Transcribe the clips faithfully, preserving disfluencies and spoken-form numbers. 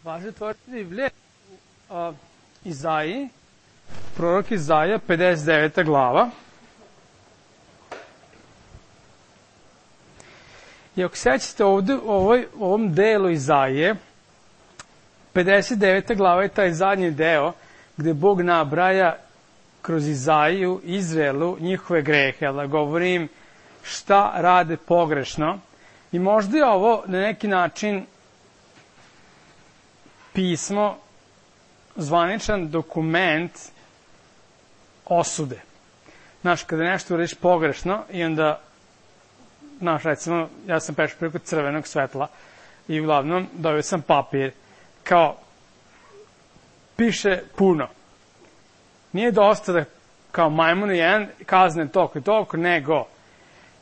Važno otvoriti Biblije u Izaiji, prorok Izaija, pedeset deveta glava. I ako sećate ovde u ovoj, ovom delu Izaije, pedeset deveta glava je taj zadnji deo gde Bog nabraja kroz Izaiju, Izraelu, njihove grehe, ali govori im šta rade pogrešno. I možda je ovo na neki način pismo, zvaničan dokument osude. Znaš, kada nešto uradiš pogrešno i onda, znaš, recimo, ja sam prešao preko crvenog svetla i uglavnom dobio sam papir, kao, piše puno. Nije dosta da kao majmunu jedan kazne toliko i toliko, nego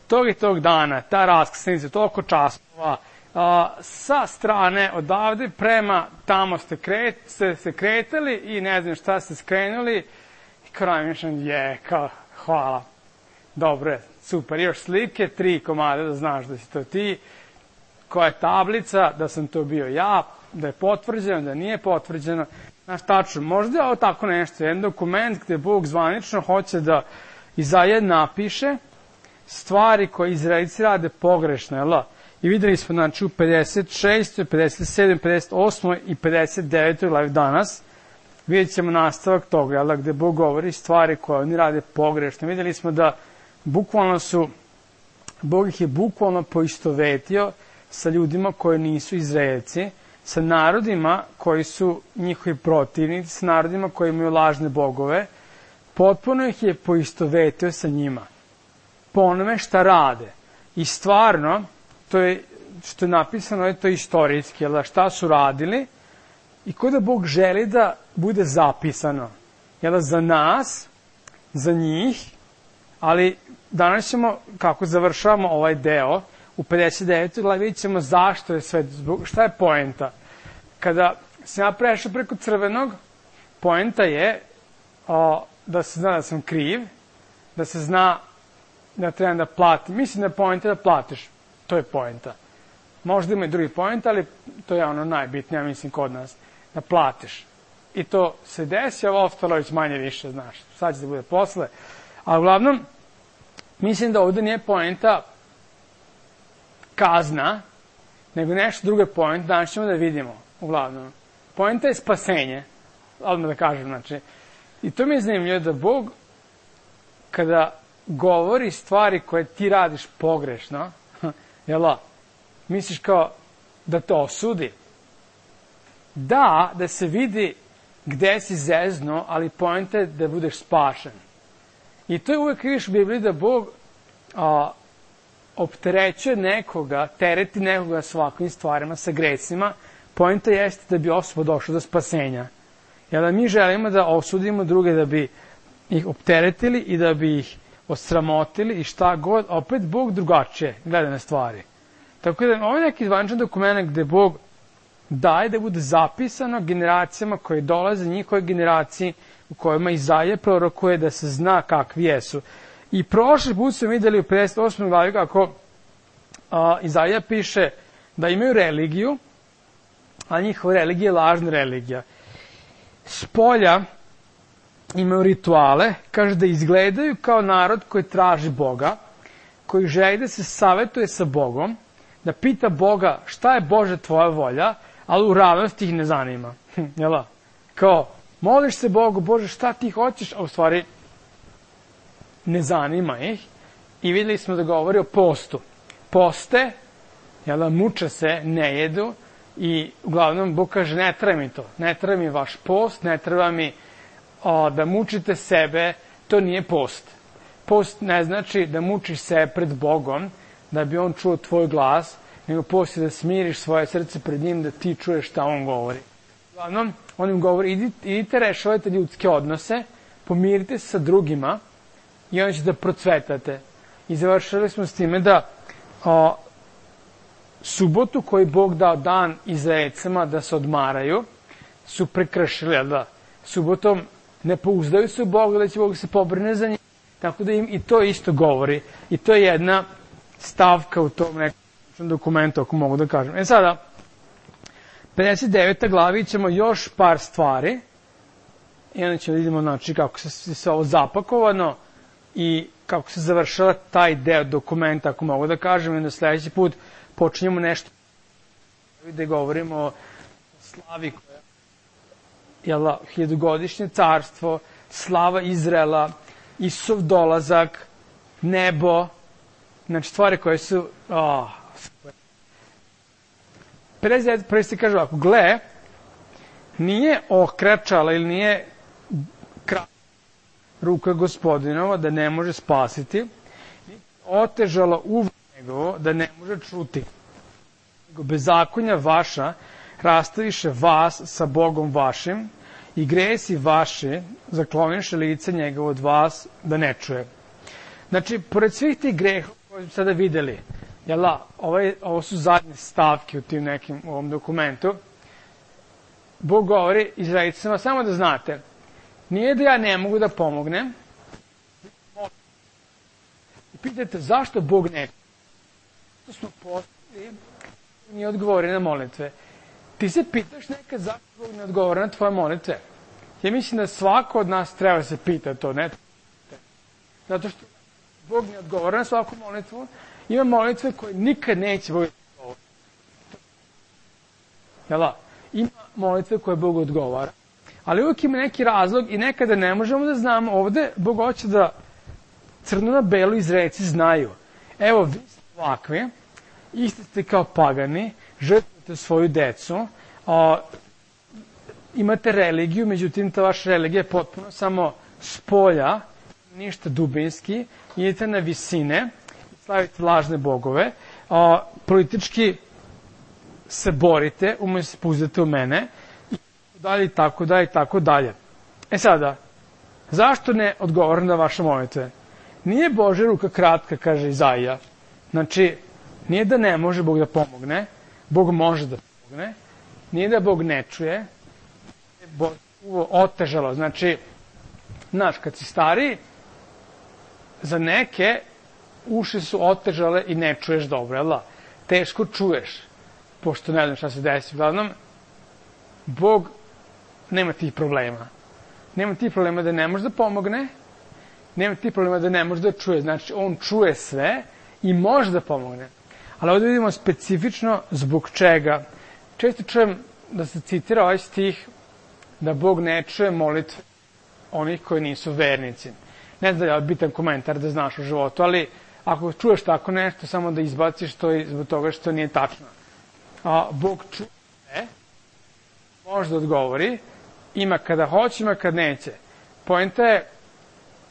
tog i tog dana, ta raskrsnica, toliko časova, a, sa strane odavde prema tamo ste, kret, ste se kretali i ne znam šta ste skrenuli i kraj mišljam je, kao, hvala, dobro je, super, još slike, tri komade da znaš da si to ti, koja je tablica, da sam to bio ja, da je potvrđeno, da nije potvrđeno. Znaš, tačno, možda je ovo tako nešto, jedan dokument gde Bog zvanično hoće da Izaija napiše stvari koje Izraelci rade pogrešno, jel? I videli smo, znači, u pedeset šestoj, pedeset sedmoj, pedeset osmoj i pedeset devetoj glavi danas, vidjet ćemo nastavak toga, jel? Gde Bog govori stvari koje oni rade pogrešno. Videli smo da bukvalno su, Bog ih je bukvalno poistovetio sa ljudima koji nisu Izraelci, sa narodima koji su njihovi protivnici, sa narodima koji imaju lažne bogove, potpuno ih je poistovetio sa njima. Po onome šta rade. I stvarno, to je, što je napisano, je to istorijski, jel, šta su radili i ko da Bog želi da bude zapisano. Jel, za nas, za njih, ali danas ćemo, kako završavamo ovaj deo, u pedeset devetoj glavi vidjet ćemo zašto je sve, šta je poenta. Kada sam ja prešao preko crvenog, poenta je o, da se zna da sam kriv, da se zna da trebam da platim. Mislim da je poenta da platiš. To je poenta. Možda ima i drugi poenta, ali to je ono najbitnije, mislim, kod nas. Da platiš. I to se desi, ovo ostalo već manje više, znaš. Sad će da bude posle. A uglavnom, mislim da ovde nije poenta kazna, nego nešto druge poente, danas ćemo da vidimo, uglavnom. Poenta je spasenje, odmah da kažem, znači. I to mi je zanimljivo da Bog, kada govori stvari koje ti radiš pogrešno, jel, misliš kao da to osudi. Da, da se vidi gde si zezno, ali poenta je da budeš spašen. I to je uvek vidiš u Bibliji da Bog a, opterećuje nekoga, tereti nekoga s ovakvim stvarima, sa grecima, poenta jeste da bi osoba došla do spasenja. Jer da mi želimo da osudimo druge, da bi ih opteretili i da bi ih osramotili i šta god, opet Bog drugačije gleda na stvari. Tako da ovo je neki zvaničan dokument gde Bog daje da bude zapisano generacijama koje dolaze, njihove generaciji u kojima Izaija prorokuje da se zna kakvi jesu. I prošli put smo videli u pedeset osmoj glavi kako a, Izaija piše da imaju religiju, a njihova religija je lažna religija. Spolja imaju rituale, kaže da izgledaju kao narod koji traži Boga, koji želi da se savetuje sa Bogom, da pita Boga šta je Bože tvoja volja, ali u realnosti ih ne zanima. Jel? Kao, moliš se Bogu, Bože šta ti hoćeš, a u stvari ne zanima ih. I videli smo da govori o postu. Poste, jel, muče se, ne jedu i uglavnom Bog kaže ne treba mi to, ne treba mi vaš post, ne treba mi o, da mučite sebe, to nije post. Post ne znači da mučiš se pred Bogom, da bi on čuo tvoj glas, nego post je da smiriš svoje srce pred njim, da ti čuješ šta on govori. Uglavnom, on im govori, idite, idite rešavajte ljudske odnose, pomirite se sa drugima i onda ćete da procvetate. I završili smo s time da o, subotu koju Bog dao dan Izraelcima da se odmaraju, su prekršili, da subotom ne pouzdaju se u Boga, da će Bog se pobrine za njih, tako da im i to isto govori. I to je jedna stavka u tom nekom dokumentu, ako mogu da kažem. E sada, pedeset deveta glavi ćemo još par stvari i onda ćemo vidimo znači, kako se sve ovo zapakovano i kako se završava taj deo dokumenta, ako mogu da kažem, i onda sledeći put počinjemo nešto gde govorimo o slavi koja je hiljadugodišnje carstvo, slava Izraela, Isusov dolazak, nebo, znači stvari koje su... Oh, prvi se kaže ovako, gle, nije okračala ili nije ruka gospodinova da ne može spasiti, otežala uvo njegovo da ne može čuti. Nego bezakonja vaša rastaviše vas sa Bogom vašim i gresi vaši zakloniše lice njegovo od vas da ne čuje. Znači, pored svih tih greha koje smo sada videli, jela, ovaj, ovo su zadnje stavke u tim nekim u ovom dokumentu, Bog govori Izraelicima, samo da znate, nije da ja ne mogu da pomognem. I pitate zašto Bog ne? To smo postali, nije odgovori na molitve. Ti se pitaš nekad zašto Bog ne odgovori na tvoje molitve. Ja mislim da svako od nas treba se pita to, ne? Zato što Bog ne odgovori na svaku molitvu. Ima molitve koje nikad neće Bog odgovoriti. Jela? Ima molitve koje Bog odgovara. Ali uvijek ima neki razlog i nekada ne možemo da znamo. Ovde Bog hoće da crno na belo Izraelci znaju. Evo, vi ste ovakvi, isti ste kao pagani, žrtvujete svoju decu, a, imate religiju, međutim ta vaša religija je potpuno samo s polja, ništa dubinski, idete na visine, slavite lažne bogove, a, politički se borite, umjesto se pouzdate u mene, i dalje, i tako dalje, i tako dalje. E sada, zašto ne odgovorim na vaše molitve? Nije Božja ruka kratka, kaže Izaija. Znači, nije da ne može Bog da pomogne, Bog može da pomogne, nije da Bog ne čuje, Bog otežalo. Znači, znaš, kad si stariji, za neke uši su otežale i ne čuješ dobro, jel da? Teško čuješ, pošto ne znam šta se desi. Uglavnom, Bog nema tih problema. Nema tih problema da ne može da pomogne, nema tih problema da ne može da čuje. Znači, on čuje sve i može da pomogne. Ali ovdje vidimo specifično zbog čega. Često čujem da se citira ovaj stih da Bog ne čuje molitve onih koji nisu vernici. Ne znam da je bitan komentar da znaš u životu, ali ako čuješ tako nešto, samo da izbaciš to zbog toga što nije tačno. A, Bog čuje, može da odgovori, ima kada hoće, ima kad neće. Poenta je,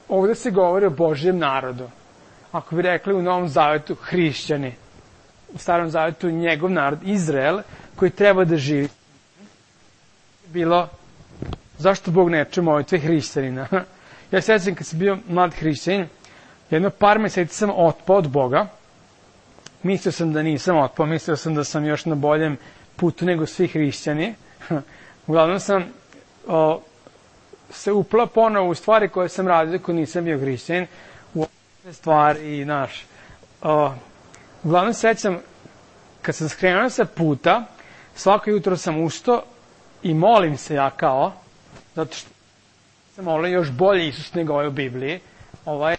ovdje se govori o Božjem narodu. Ako bi rekli u Novom Zavetu hrišćani, u Starom Zavetu njegov narod, Izrael, koji treba da živi. Bilo, zašto Bog ne čuje molitve hrišćanina? Ja se sjećam kad sam bio mlad hrišćanin, jedno par meseci sam otpao od Boga. Mislio sam da nisam otpao, mislio sam da sam još na boljem putu nego svi hrišćani. Uglavnom sam o, se upla ponovo u stvari koje sam radio ako nisam bio hrišćanin, u ove stvari i naš. O, uglavnom sećam, kad sam skrenuo sa puta, svako jutro sam ustao i molim se ja kao, zato što sam molim još bolje Isus nego ovaj u Bibliji. Ovaj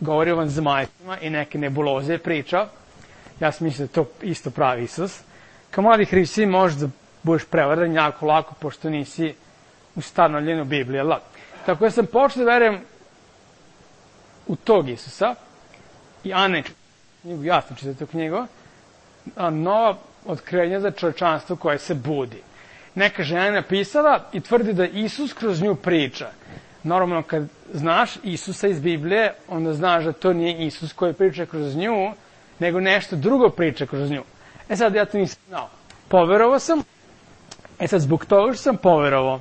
govori o vanzemaljcima i neke nebuloze priča. Ja sam mislio da to isto pravi Isus. Kao mladi hrišćani možeš da budeš prevaran jako lako, pošto nisi ustanovljen u Bibliji. Ali. Tako da sam počeo da verujem u tog Isusa i Ane knjigu, ja sam čitao tu knjigu, a nova otkrivenja za čovečanstvo koje se budi. Neka žena je napisala i tvrdi da Isus kroz nju priča. Normalno, kad znaš Isusa iz Biblije, onda znaš da to nije Isus koji priča kroz nju, nego nešto drugo priča kroz nju. E sad, ja to nisam znao. Poverovao sam, e sad, zbog toga što sam poverovao,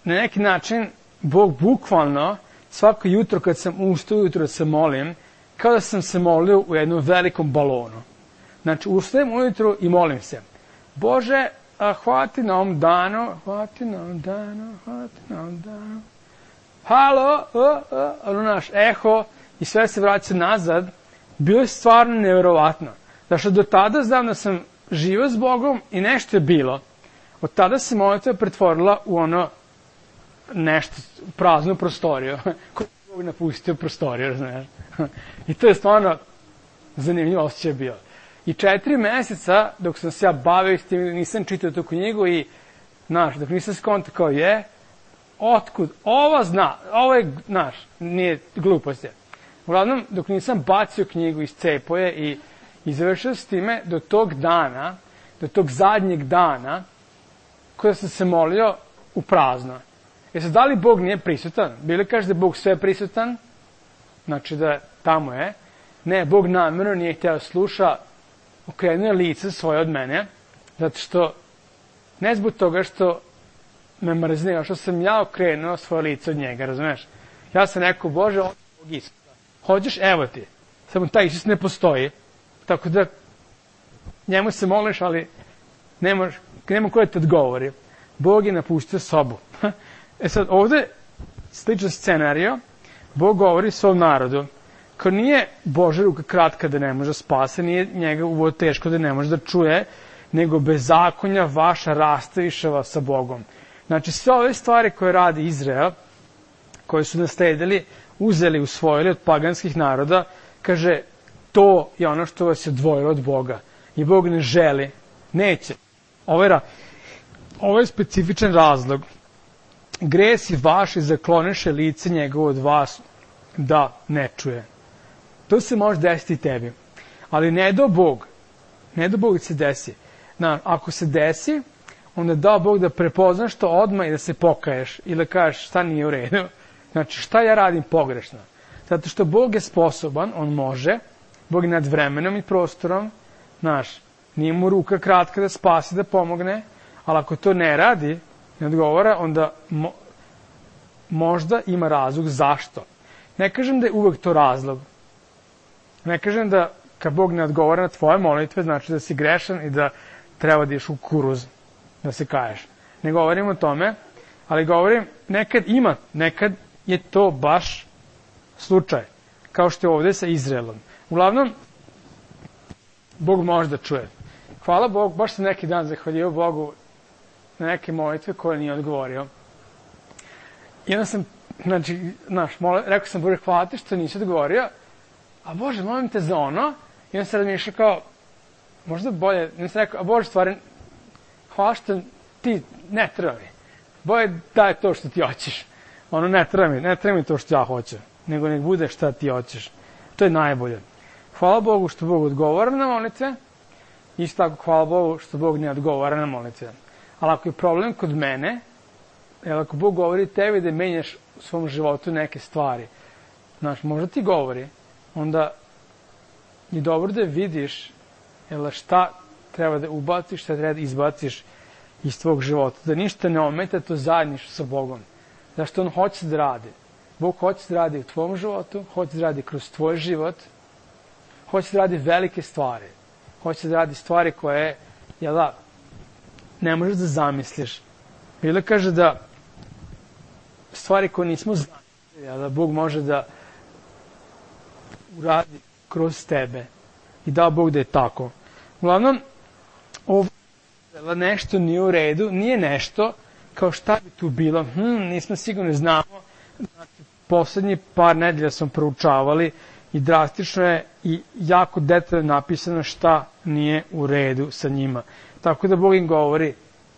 na neki način, Bog bukvalno, svako jutro kad sam ustao, jutro se molim, kao da sam se molio u jednom velikom balonu. Znači, ustajem ujutru i molim se. Bože, a hvati na ovom danu, hvati na ovom danu, hvati na ovom danu. Halo, ono naš eho, i sve se vraća nazad. Bilo je stvarno nevjerovatno. Zašto do tada znam da sam živio s Bogom i nešto je bilo. Od tada se molitva pretvorila u ono nešto, praznu prostoriju, koju je Bog napustio prostoriju, znaš. I to je stvarno zanimljivo osjećaj bio. I četiri meseca, dok sam se ja bavio s tim, nisam čitao tu knjigu i, znaš, dok nisam skontao kao je, otkud, ova zna, ovo je, znaš, nije glupost je. Uglavnom, dok nisam bacio knjigu iz cepoje i, i završio s time, do tog dana, do tog zadnjeg dana, kada sam se molio u prazno. Jer sad, da li Bog nije prisutan? Bili kaže da je Bog sve prisutan? Znači da tamo je. Ne, Bog namjerno nije htio sluša, okrenuo je lice svoje od mene, zato što, ne zbog toga što me mrznio, što sam ja okrenuo svoje lice od njega, razumeš? Ja sam rekao, Bože, on je Bog Isusa. Hoćeš, evo ti. Samo taj Isus ne postoji. Tako da, njemu se moliš, ali nema, nema ko da te odgovori. Bog je napustio sobu. E sad, ovde sličan scenario, Bog govori svom narodu. Kao nije Božja ruka kratka da ne može spase, nije njega uvo teško da ne može da čuje, nego bezakonja vaša rastavišava sa Bogom. Znači, sve ove stvari koje radi Izrael, koje su nasledili, uzeli, usvojili od paganskih naroda, kaže, to je ono što vas je odvojilo od Boga. I Bog ne želi, neće. Ovo je, ra... Ovo je specifičan razlog. Gresi vaši zakloneše lice njegovo od vas da ne čuje. To se može desiti tebi. Ali ne do Bog. Ne do Bog da se desi. Na, ako se desi, onda da Bog da prepoznaš to odmah i da se pokaješ. Ili da kažeš šta nije u redu. Znači šta ja radim pogrešno. Zato što Bog je sposoban, on može. Bog je nad vremenom i prostorom. Znaš, nije mu ruka kratka da spasi, da pomogne. Ali ako to ne radi, ne odgovara, onda mo, možda ima razlog zašto. Ne kažem da je uvek to razlog. Ne kažem da kad Bog ne odgovara na tvoje molitve, znači da si grešan i da treba da ješ u kuruz, da se kaješ. Ne govorim o tome, ali govorim, nekad ima, nekad je to baš slučaj, kao što je ovde sa Izraelom. Uglavnom, Bog može da čuje. Hvala Bogu, baš sam neki dan zahvalio Bogu na neke molitve koje nije odgovorio. I onda sam, znači, znaš, mole, rekao sam, Bože, hvala ti što nisi odgovorio, a Bože, molim te za ono, i onda sam razmišljao kao, možda bolje, i onda sam rekao, a Bože, stvari, hvala što ti ne treba mi. Bolje daj to što ti hoćeš. Ono, ne treba mi, ne treba mi to što ja hoću, nego nek bude šta ti hoćeš. To je najbolje. Hvala Bogu što Bog odgovara na molitve, isto tako hvala Bogu što Bog ne odgovara na molitve. Ali ako je problem kod mene, jer ako Bog govori tebi da menjaš u svom životu neke stvari, znaš, možda ti govori, onda je dobro da vidiš jel, šta treba da ubaciš, šta treba da izbaciš iz tvog života. Da ništa ne ometa to zajedništvo sa Bogom. Zašto on hoće da radi. Bog hoće da radi u tvom životu, hoće da radi kroz tvoj život, hoće da radi velike stvari. Hoće da radi stvari koje, jel da, ne možeš da zamisliš. Bila kaže da stvari koje nismo zamislili, jel da Bog može da uradi kroz tebe. I da Bog da je tako. Uglavnom, ovo nešto nije u redu, nije nešto kao šta bi tu bilo. Hm, nismo sigurno znamo. Znači, poslednji par nedelja smo proučavali i drastično je i jako detaljno napisano šta nije u redu sa njima. Tako da Bog im govori,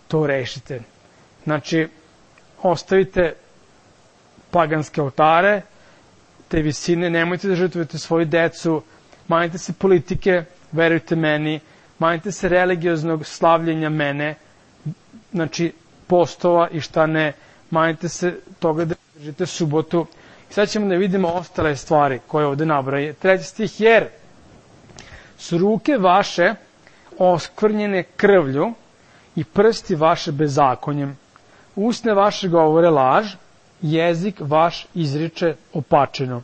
to rešite. Znači, ostavite paganske oltare, te visine, nemojte da žrtvujete svoju decu, manjite se politike, verujte meni, manjite se religioznog slavljenja mene, znači postova i šta ne, manjite se toga da držite subotu. I sad ćemo da vidimo ostale stvari koje ovde nabraje. Treći stih, jer su ruke vaše oskvrnjene krvlju i prsti vaše bezakonjem. Usne vaše govore laž, jezik vaš izriče opačeno.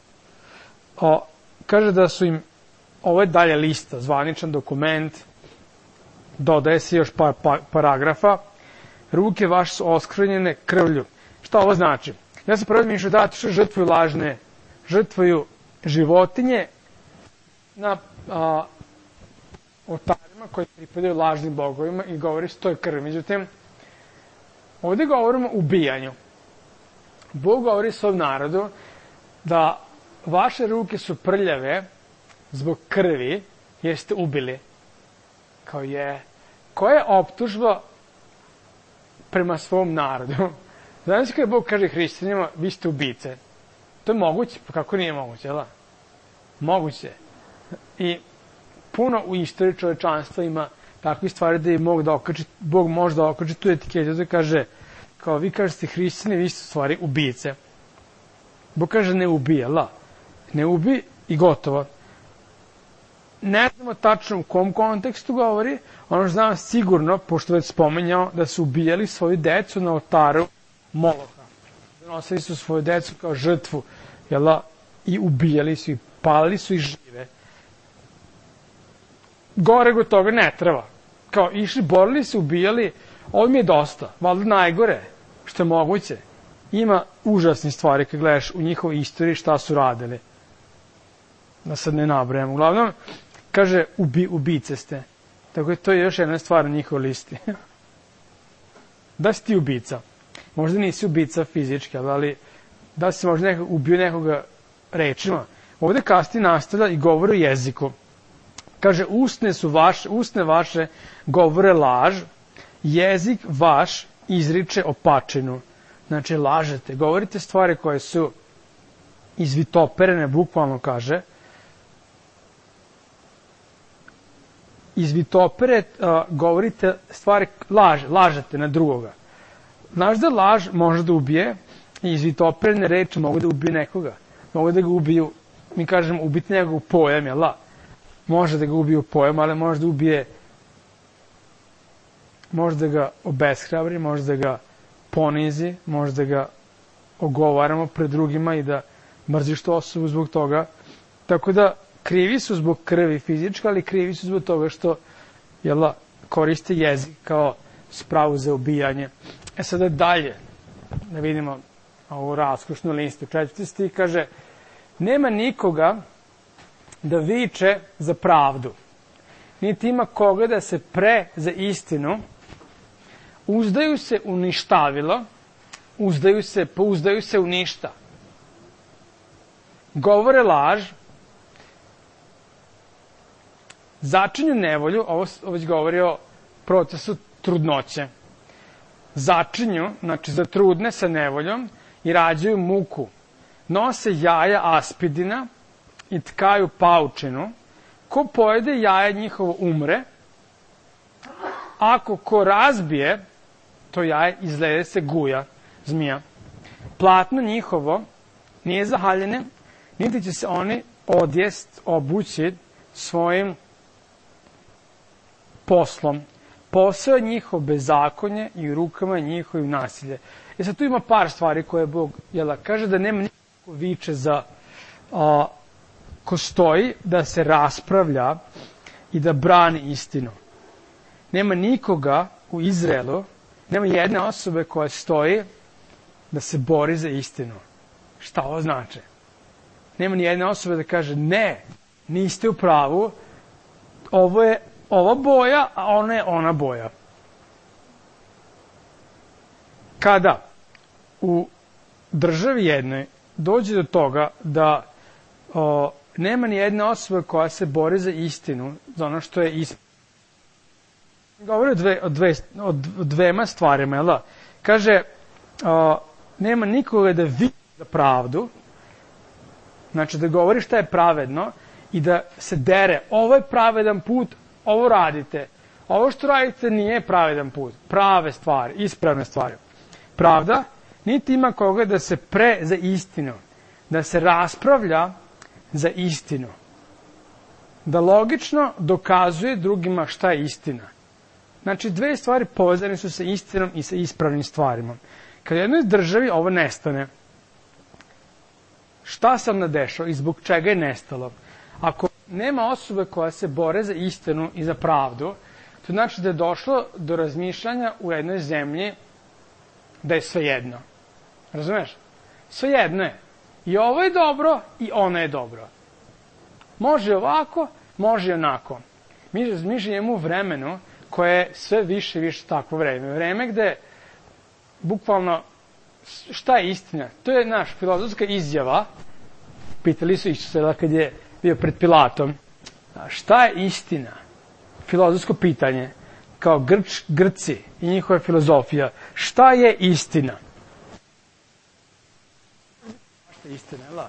O, kaže da su im, ovo je dalje lista, zvaničan dokument, dodaje se još par pa, paragrafa, ruke vaše su oskvrnjene krvlju. Šta ovo znači? Ja sam prvo mišljao da što žrtvuju lažne, žrtvuju životinje na a, oltarima koji pripadaju lažnim bogovima i govori se to je krv. Međutim, ovdje govorimo o ubijanju. Bog govori svom narodu da vaše ruke su prljave zbog krvi jer ste ubili. Kao je, koja je optužba prema svom narodu? Znači kada Bog kaže hrišćanima, vi ste ubice. To je moguće, pa kako nije moguće, jel? Moguće. I puno u istoriji čovečanstva ima takvih stvari da je Bog, da okači, Bog može da okači tu etiketu da kaže, kao vi kažete hrišćani, vi ste u stvari ubice. Bog kaže ne ubije, la. Ne ubi i gotovo. Ne znamo tačno u kom kontekstu govori, ono što znam sigurno, pošto već spomenjao, da su ubijali svoju decu na oltaru Moloha. Donosili su svoju decu kao žrtvu, jela, i ubijali su i palili su i žive. Gore go toga ne treba. Kao išli, borili se, ubijali, ovo mi je dosta, valjda najgore, što je moguće. Ima užasnih stvari kad gledaš u njihovoj istoriji šta su radili. Da sad ne nabrajam. Uglavnom, kaže, ubi, ubice ste. Tako je to još jedna stvar na njihovoj listi. Da si ti ubica. Možda nisi ubica fizički, ali da si možda nekog, ubio nekoga rečima. Ovdje kasnije nastavlja i govori o jeziku. Kaže, usne su vaše, usne vaše govore laž, jezik vaš izriče opačinu. Znači, lažete, govorite stvari koje su izvitoperene, bukvalno kaže. Izvitopere, uh, govorite stvari, laž, lažete na drugoga. Znaš da laž može da ubije i izvitoperene reči mogu da ubiju nekoga. Mogu da ga ubiju, mi kažemo, ubiti nekog pojam, jel la? Može da ga ubiju pojam, ali može da ubije, može da ga obeshrabri, može da ga ponizi, može da ga ogovaramo pred drugima i da mrziš tu osobu zbog toga. Tako da krivi su zbog krvi fizička, ali krivi su zbog toga što jela, koriste jezik kao spravu za ubijanje. E sada dalje, da vidimo ovu raskošnu listu. Četvrti stih kaže, nema nikoga da viče za pravdu, niti ima koga da se pre za istinu, uzdaju se u ništavilo, uzdaju se, pouzdaju se u ništa. Govore laž, začinju nevolju, ovo, ovo već govori o procesu trudnoće. Začinju, znači zatrudne sa nevoljom i rađaju muku. Nose jaja aspidina i tkaju paučinu. Ko pojede jaje njihovo umre. Ako ko razbije, to jaje izgleda se guja, zmija. Platno njihovo nije zahaljene, niti će se oni odjest, obući svojim poslom. Posao je njihov bezakonje i u rukama njihovim nasilje. I sad tu ima par stvari koje Bog jela, kaže da nema nikako viče za a, ko stoji da se raspravlja i da brani istinu. Nema nikoga u Izraelu, nema jedne osobe koja stoji da se bori za istinu. Šta ovo znači? Nema ni jedne osobe da kaže ne, niste u pravu, ovo je ova boja, a ona je ona boja. Kada u državi jednoj dođe do toga da o, nema ni jedne osobe koja se bori za istinu, za ono što je ispravno. Govori o, dve, o, dve, o dvema stvarima, jel da? Kaže, o, nema nikoga da vidi za pravdu, znači da govori šta je pravedno i da se dere, ovo je pravedan put, ovo radite. Ovo što radite nije pravedan put. Prave stvari, ispravne stvari. Pravda, niti ima koga da se pre za istinu, da se raspravlja za istinu. Da logično dokazuje drugima šta je istina. Znači, dve stvari povezane su sa istinom i sa ispravnim stvarima. Kad u jednoj državi ovo nestane, šta sam nadešao i zbog čega je nestalo? Ako nema osobe koja se bore za istinu i za pravdu, to znači da je došlo do razmišljanja u jednoj zemlji da je svejedno. Razumeš? Svejedno je. I ovo je dobro i ono je dobro. Može ovako, može onako. Mi, mi živimo u vremenu koje je sve više i više takvo vreme. Vreme gde, bukvalno, šta je istina? To je naš filozofska izjava. Pitali su Isusa kad je bio pred Pilatom. Šta je istina? Filozofsko pitanje. Kao Grč, Grci i njihova filozofija. Šta je istina? Šta je istina? La?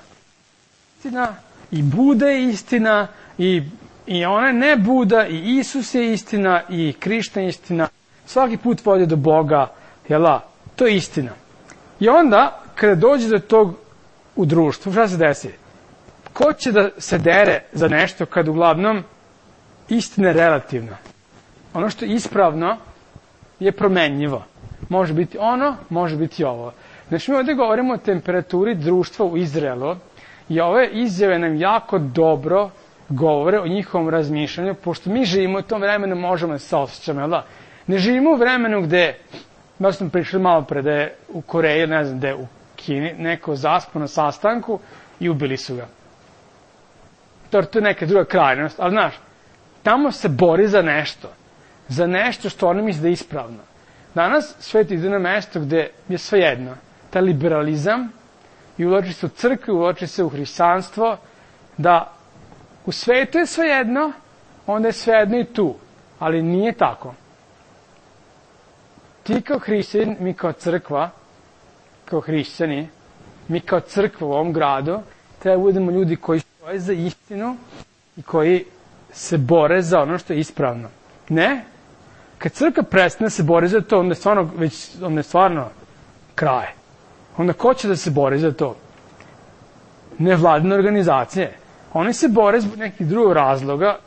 Istina. I Buda je istina. I, i ona ne Buda. I Isus je istina. I Krišta je istina. Svaki put vodi do Boga. Jela? To je istina. I onda, kada dođe do tog u društvu, šta se desi? Ko će da se dere za nešto kad uglavnom istina je relativna? Ono što je ispravno je promenljivo. Može biti ono, može biti ovo. Znači, mi ovdje govorimo o temperaturi društva u Izraelu i ove izjave nam jako dobro govore o njihovom razmišljanju, pošto mi živimo u tom vremenu, možemo da se osjećamo, jel da? Ne živimo u vremenu gde, da smo pričali malo pre, da je u Koreji, ne znam, da je u Kini, neko zaspo na sastanku i ubili su ga. To je neka druga krajnost, ali znaš, tamo se bori za nešto. Za nešto što oni misle da je ispravno. Danas svet ide na mesto gde je svejedno. Taj liberalizam i ulači se u crkvu, ulači se u hrišćanstvo, da u svetu je svejedno, onda je svejedno i tu. Ali nije tako. Ti kao hrišćanin, mi kao crkva, kao hrišćani, mi kao crkva u ovom gradu, treba budemo ljudi koji stoje za istinu i koji se bore za ono što je ispravno. Ne? Kad crkva prestane se bori za to, onda je stvarno, već, onda je stvarno kraj. Onda ko će da se bori za to? Nevladine organizacije. Oni se bore zbog nekih drugih razloga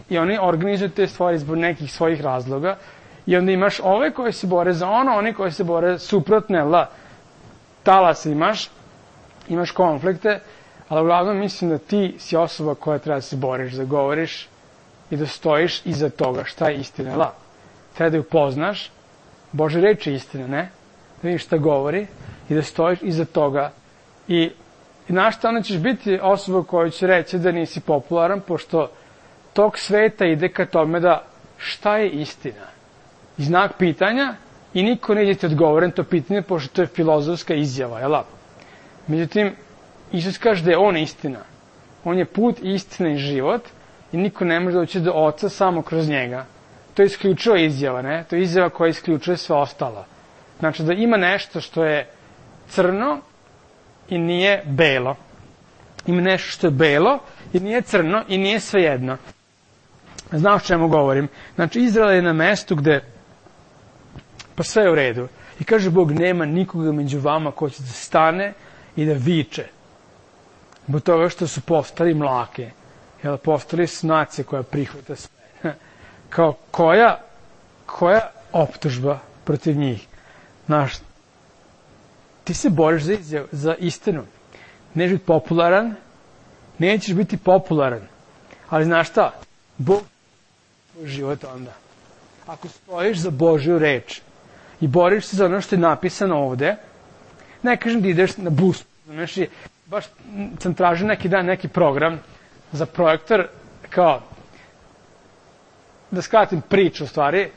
i oni organizuju te stvari zbog nekih svojih razloga i onda imaš ove koji se bore za ono, oni koji se bore suprotne, la, talas imaš, imaš konflikte, ali uglavnom mislim da ti si osoba koja treba da se boriš, da govoriš i da stojiš iza toga. Šta je istina? La. Treba da ju poznaš. Bože reč je istina, ne? Da vidiš šta govori i da stojiš iza toga. I, i znaš šta, onda ćeš biti osoba koja će reći da nisi popularan, pošto tog sveta ide ka tome da šta je istina? I znak pitanja i niko neće ti odgovoren to pitanje, pošto to je filozofska izjava, jel? Međutim, Isus kaže da je on istina. On je put, istina i život i niko ne može doći do Oca samo kroz njega. To je isključiva izjava, ne? To je izjava koja isključuje sve ostalo. Znači da ima nešto što je crno i nije belo. Ima nešto što je belo i nije crno i nije svejedno. Znaš o čemu govorim? Znači, Izrael je na mestu gde pa sve je u redu. I kaže Bog, nema nikoga među vama ko će da stane i da viče. Zbog toga što su postali mlake. Jel, postali su nacija koja prihvata sve. Kao koja, koja optužba protiv njih? Znaš, ti se boriš za, izjav, za istinu. Nećeš biti popularan, nećeš biti popularan. Ali znaš šta? Bog je život onda. Ako stojiš za Božju reč i boriš se za ono što je napisano ovde, ne kažem da ideš na bus, znaš, baš sam tražio neki dan neki program za projektor, kao, da skratim priču u stvari,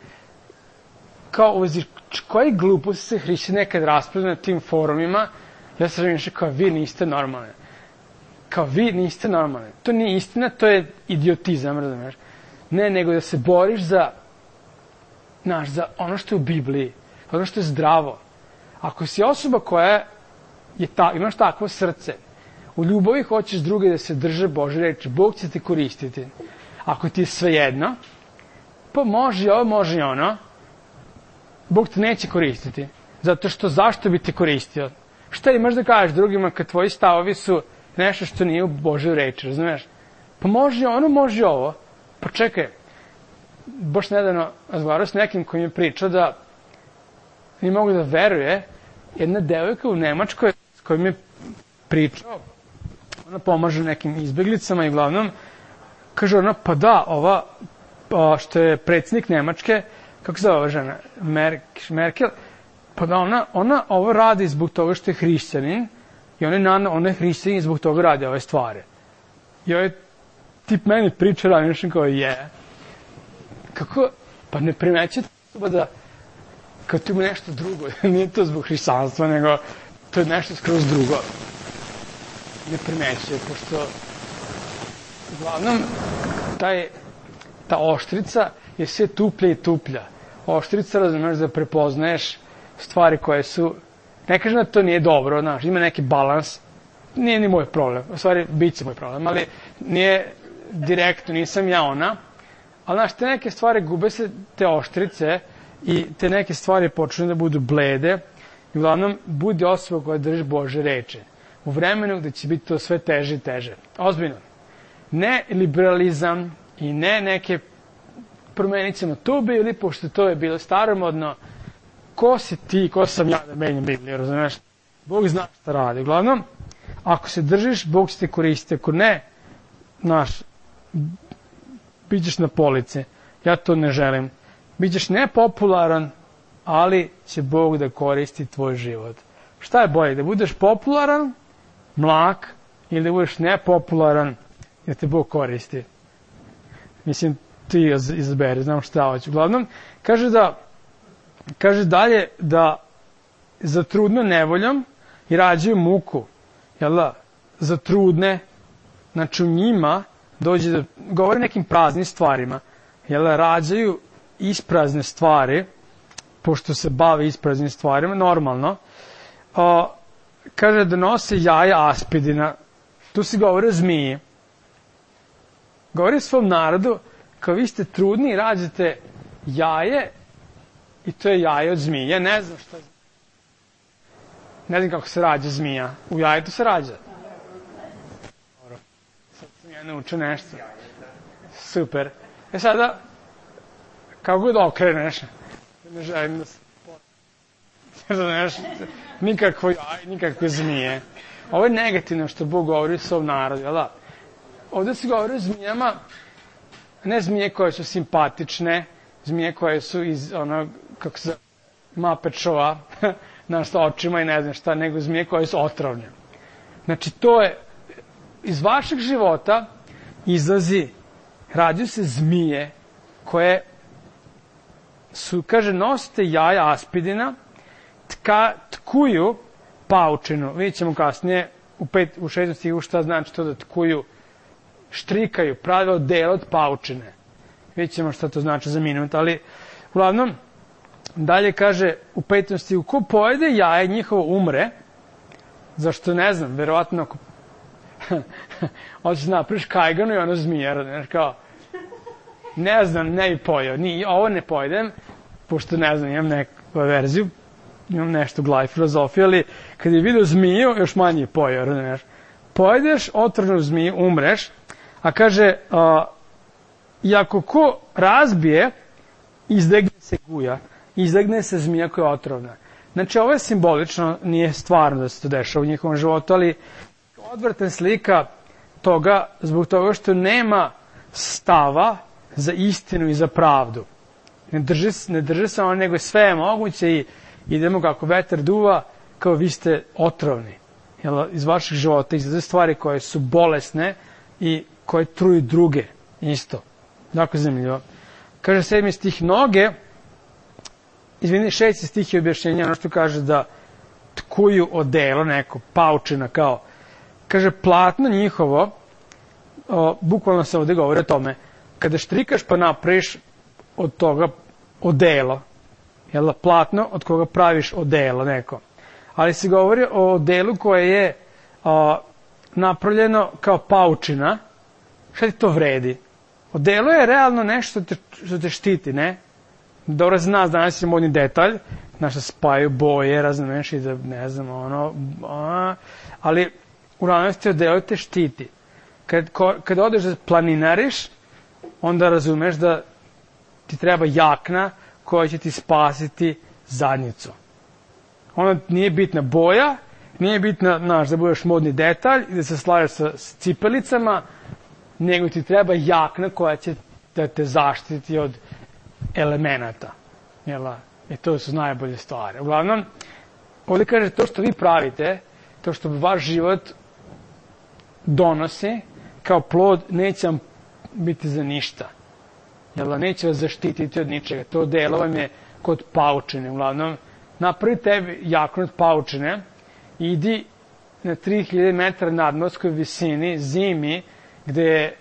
kao uvezi, koji gluposti se hrišćani nekad raspravljaju na tim forumima, ja sam razmišljao kao vi niste normalni. Kao vi niste normalni. To nije istina, to je idiotizam, razumiješ? Ne, nego da se boriš za, znaš, za ono što je u Bibliji, ono što je zdravo. Ako si osoba koja je ta, imaš takvo srce, u ljubavi hoćeš druge da se drže Božje reči, Bog će te koristiti. Ako ti je svejedno, pa može i ovo, može i ono, Bog te neće koristiti. Zato što zašto bi te koristio? Šta imaš da kažeš drugima kad tvoji stavovi su nešto što nije u Božjoj reči, razumiješ? Pa može i ono, može i ovo. Pa čekaj, baš nedavno razgovarao s nekim koji mi je pričao da ne mogu da veruje, jedna devojka u Nemačkoj s kojim je pričao, ona pomaže nekim izbeglicama i uglavnom, kaže ona, pa da, ova, pa što je predsjednik Nemačke, kako se zove ova žena, Merkel, pa da ona, ona ovo radi zbog toga što je hrišćanin i ona je, ona je hrišćanin i zbog toga radi ove stvari. I ovaj tip meni priča ranije kao je. Kako, pa ne primećete da kao tu ima nešto drugo, nije to zbog hrišćanstva, nego to je nešto skroz drugo. Ne primećuje, pošto uglavnom taj, ta oštrica je sve tuplja i tuplja. Oštrica, razumeš, da prepoznaješ stvari koje su, ne kažem da to nije dobro, znaš, ima neki balans, nije ni moj problem, u stvari bit će moj problem, ali nije direktno, nisam ja ona, ali znaš, te neke stvari gube se, te oštrice, i te neke stvari počnu da budu blede, i uglavnom budi osoba koja drži Bože reči. U vremenu gde će biti to sve teže i teže. Ozbiljno. Ne liberalizam i ne neke promenit ćemo tu Bibliju, pošto to je bilo staromodno. Ko si ti, ko sam ja da menjam Bibliju, razumeš? Bog zna šta radi. Uglavnom, ako se držiš, Bog će te koristiti. Ako ne, znaš, bićeš na polici. Ja to ne želim. Bićeš nepopularan, ali će Bog da koristi tvoj život. Šta je bolje, da budeš popularan, mlak, ili da budeš nepopularan, da te Bog koristi? Mislim, ti izaberi, znam šta hoću. Uglavnom, kaže da, kaže dalje da za trudno nevoljom i rađaju muku, jel da, za trudne, znači u njima dođe da govore nekim praznim stvarima, jel da, rađaju isprazne stvari, pošto se bave ispraznim stvarima, normalno, o, kaže da nose jaja aspidina, tu se govori o zmiji. Govori svom narodu, kao vi ste trudni i rađate jaje, i to je jaje od zmije. Ja ne znam šta je. Ne znam kako se rađa zmija. U jajetu se rađa. Dobro. Sad sam ja naučio nešto. Super. E sada, kako god okreneš, ne želim da se potem. Nikakvo jaje, nikakve zmije. Ovo je negativno što Bog govori svom narodu, jel da? Ovdje se govori o zmijama, ne zmije koje su simpatične, zmije koje su iz onog, kako se Muppet Showa, znaš, sa očima i ne znam šta, nego zmije koje su otrovne. Znači, to je, iz vašeg života izlazi, rađaju se zmije koje su, kaže, nosite jaja aspidina, tka, tkuju paučinu. Vidjet ćemo kasnije u, pet, u šestom stihu šta znači to da tkuju, štrikaju, prave odelo od paučine. Vidjet ćemo šta to znači za minut, ali uglavnom, dalje kaže u petom stihu, ko pojede jaje njihovo umre, zašto ne znam, verovatno ako hoćeš napriš kajganu i ono zmijer, znaš kao, ne znam, ne bi pojeo, ni, ovo ne pojedem, pošto ne znam, imam neku verziju, imam nešto u glavi filozofije, ali kad je vidio zmiju, još manje je pojeo, znaš. Pojedeš otrovnu zmiju, umreš, a kaže, a, i ako ko razbije, izlegne se guja, izlegne se zmija koja je otrovna. Znači, ovo je simbolično, nije stvarno da se to dešava u njihovom životu, ali odvratan slika toga, zbog toga što nema stava za istinu i za pravdu. Ne drži, ne drži se ono, nego sve je moguće i idemo kako vetar duva, kao vi ste otrovni. Jel, iz vaših života izlaze stvari koje su bolesne i koje truju druge. Isto. Dakle, zanimljivo. Kaže sedmi stih, noge, izvini, šesti stih je objašnjenja, ono što kaže da tkuju odelo neko, paučina kao, kaže platno njihovo, o, bukvalno se ovde govori o tome, kada štrikaš pa napraviš od toga odelo, jel, platno od koga praviš odelo neko. Ali se govori o delu koje je a, napravljeno kao paučina. Šta ti to vredi? Odelo je realno nešto te, što te štiti, ne? Dobro zna, danas je modni detalj, znaš da spaju boje, razumeš i da, ne znam, ono, a, ali u realnosti odelo te štiti. Kad, ko, kad odeš da planinariš, onda razumeš da ti treba jakna koja će ti spasiti zadnjicu. Ona nije bitna boja, nije bitna, znaš, da budeš modni detalj i da se slažeš sa, sa cipelicama, nego ti treba jakna koja će da te zaštiti od elemenata. Jela? I to su najbolje stvari. Uglavnom, ovdje kaže to što vi pravite, to što vaš život donosi, kao plod, neće vam biti za ništa. Jel, neće vas zaštititi od ničega. To delo vam je kod paučine. Uglavnom, napravi tebi jaknu od paučine, idi na tri hiljade metara nadmorskoj visini, zimi, gde je,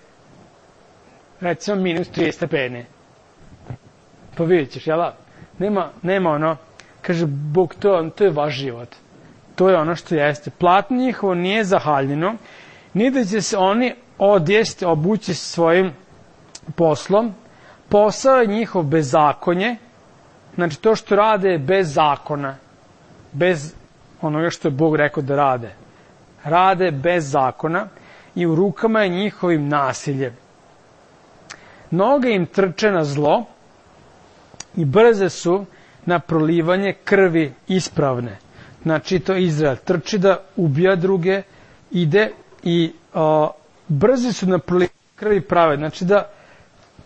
recimo, minus trideset stepeni. Pa vidjet ćeš, jel? Nema, nema ono, kaže, Bog, to, to je vaš život. To je ono što jeste. Platno njihovo nije zahaljeno, ni da će se oni odjesti, obući svojim poslom. Posao je njihov bezakonje, znači to što rade je bez zakona, bez onoga što je Bog rekao da rade. Rade bez zakona i u rukama je njihovim nasiljem. Noge im trče na zlo i brze su na prolivanje krvi ispravne. Znači to Izrael trči da ubija druge, ide i o, brzi su na prolivanje krvi prave. Znači da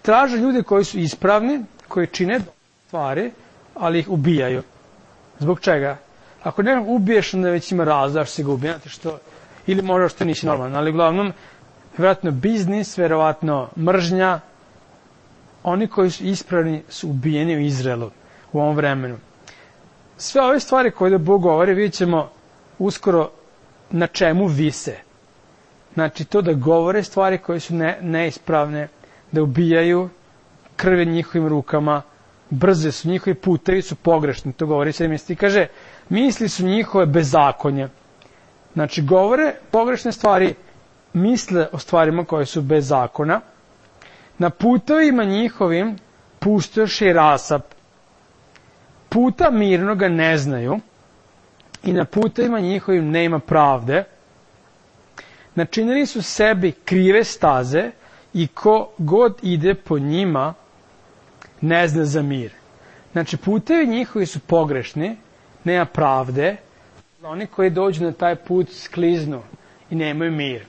traže ljude koji su ispravni, koji čine stvari, ali ih ubijaju. Zbog čega? Ako nekog ubiješ, onda već ima razlog zašto se ga ubija, što, ili možda što nisi normalan, ali uglavnom, vjerojatno biznis, vjerojatno mržnja, oni koji su ispravni su ubijeni u Izraelu u ovom vremenu. Sve ove stvari koje da Bog govori, vidjet ćemo uskoro na čemu vise. Znači to da govore stvari koje su ne, neispravne, da ubijaju, krve njihovim rukama, brze su, njihovi putevi su pogrešni, to govori se misli. Kaže, misli su njihove bezakonje. Znači, govore pogrešne stvari, misle o stvarima koje su bez zakona. Na putevima njihovim pustoši rasap. Puta mirnoga ne znaju i na putevima njihovim nema pravde. Načinili su sebi krive staze i ko god ide po njima ne zna za mir. Znači, putevi njihovi su pogrešni, nema pravde, oni koji dođu na taj put skliznu i nemaju mir.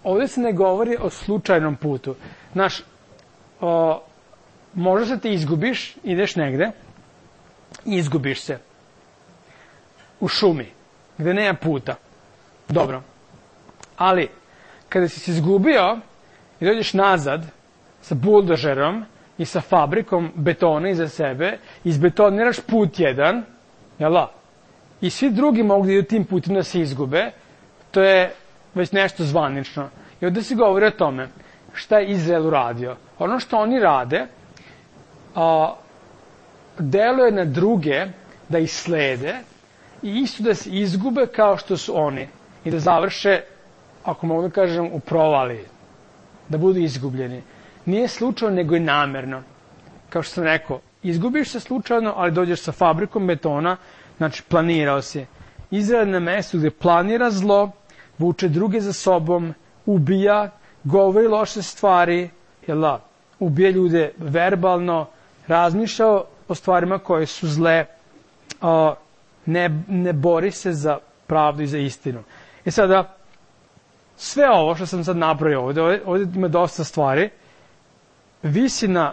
Ovdje se ne govori o slučajnom putu. Znaš, o, možda se ti izgubiš, ideš negde i izgubiš se u šumi, gde nema puta. Dobro. Ali, kada si se izgubio i dođeš nazad sa buldožerom i sa fabrikom betona iza sebe, izbetoniraš put jedan, jel' i svi drugi mogu da idu tim putem da se izgube, to je već nešto zvanično. I ovdje se govori o tome šta je Izrael uradio. Ono što oni rade, a, deluje na druge da ih slede i isto da se izgube kao što su oni i da završe, ako mogu da kažem, u provali, da budu izgubljeni. Nije slučajno, nego je namerno. Kao što sam rekao, izgubiš se slučajno, ali dođeš sa fabrikom betona, znači planirao si. Izrael na mestu gde planira zlo, vuče druge za sobom, ubija, govori loše stvari, jel da, ubija ljude verbalno, razmišlja o stvarima koje su zle, a, ne, ne bori se za pravdu i za istinu. I sada, sve ovo što sam sad napravio ovdje, ovdje, ovdje ima dosta stvari, visi na,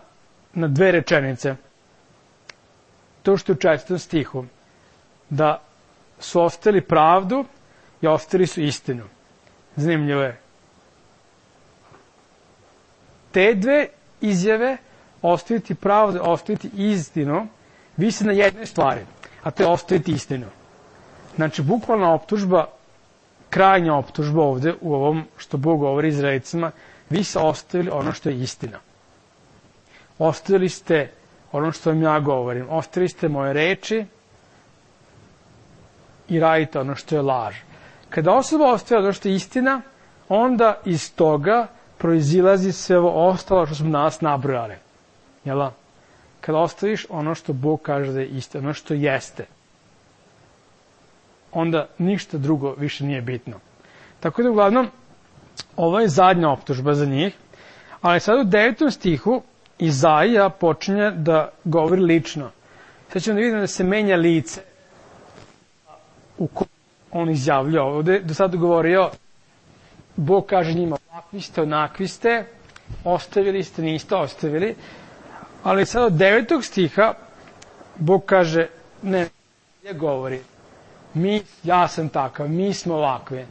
na dve rečenice. To što je u četvrtom stihu, da su ostavili pravdu i ostavili su istinu. Zanimljivo je. Te dve izjave, ostaviti pravdu, ostaviti istinu, visi na jednoj stvari, a to je ostaviti istinu. Znači, bukvalna optužba, krajnja optužba ovdje u ovom što Bog govori Izraelicima, vi ste ostavili ono što je istina. Ostavili ste ono što vam ja govorim. Ostavili ste moje reči i radite ono što je laž. Kada osoba ostaje ono što je istina, onda iz toga proizilazi sve ovo ostalo što smo danas nabrojali. Jel? Kada ostaviš ono što Bog kaže da je istina, ono što jeste, onda ništa drugo više nije bitno. Tako da, uglavnom, ovo je zadnja optužba za njih, ali sad u devetom stihu Izaija počinje da govori lično. Sad ćemo da vidimo da se menja lice u kojem on izjavlja. Ovdje do sada govorio, Bog kaže njima, ovakvi ste, onakvi ste, ostavili ste, niste ostavili, ali sad od devetog stiha Bog kaže, ne, ne govori, mi, ja sam takav, mi smo ovakvi.